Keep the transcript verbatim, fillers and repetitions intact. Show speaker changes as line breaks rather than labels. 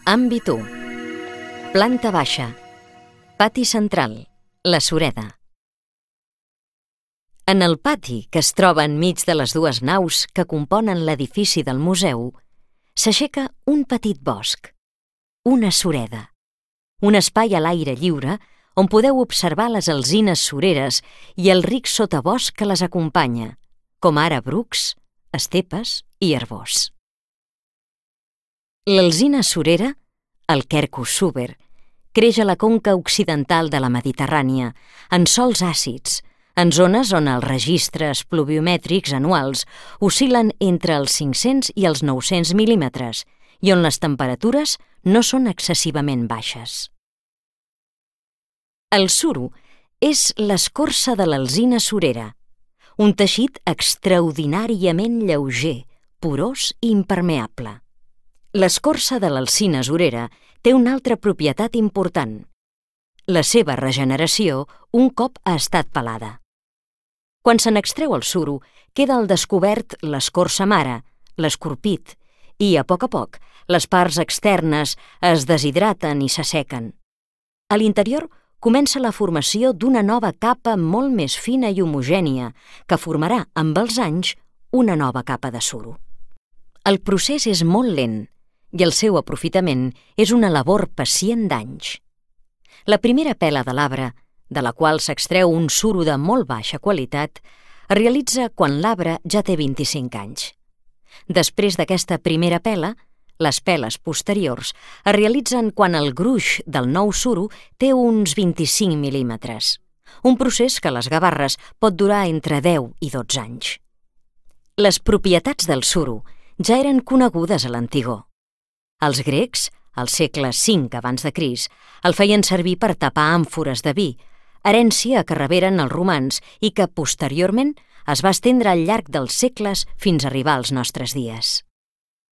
Àmbit u. Planta baixa. Pati central, la sureda. En el pati, que es troba enmig de les dues naus que componen l'edifici del museu, s'aixeca un petit bosc, una sureda, un espai a l'aire lliure on podeu observar les alzines sureres i el ric sotabosc que les acompanya, com ara brucs, estepes i arboç. L'alzina surera, el Quercus suber, creix a la conca occidental de la Mediterrània, en sòls àcids, en zones on els registres pluviomètrics anuals oscil·len entre els cinc-cents i els nou-cents mil·límetres i on les temperatures no són excessivament baixes. El suro és l'escorça de l'alzina surera, un teixit extraordinàriament lleuger, porós i impermeable. L'escorça de l'alzina surera té una altra propietat important: la seva regeneració un cop ha estat pelada. Quan se n'extreu el suro, queda al descobert l'escorça mare, l'escorpit, i, a poc a poc, les parts externes es deshidraten i s'assequen. A l'interior comença la formació d'una nova capa molt més fina i homogènia que formarà, amb els anys, una nova capa de suro. El procés és molt lent i el seu aprofitament és una labor pacient d'anys. La primera pela de l'arbre, de la qual s'extreu un suro de molt baixa qualitat, es realitza quan l'arbre ja té vint-i-cinc anys. Després d'aquesta primera pela, les peles posteriors es realitzen quan el gruix del nou suro té uns vint-i-cinc mil·límetres, un procés que a les gavarres pot durar entre deu i dotze anys. Les propietats del suro ja eren conegudes a l'antigor. Els grecs, al segle cinc abans de Crist, el feien servir per tapar àmfores de vi, herència que reberen els romans i que, posteriorment, es va estendre al llarg dels segles fins a arribar als nostres dies.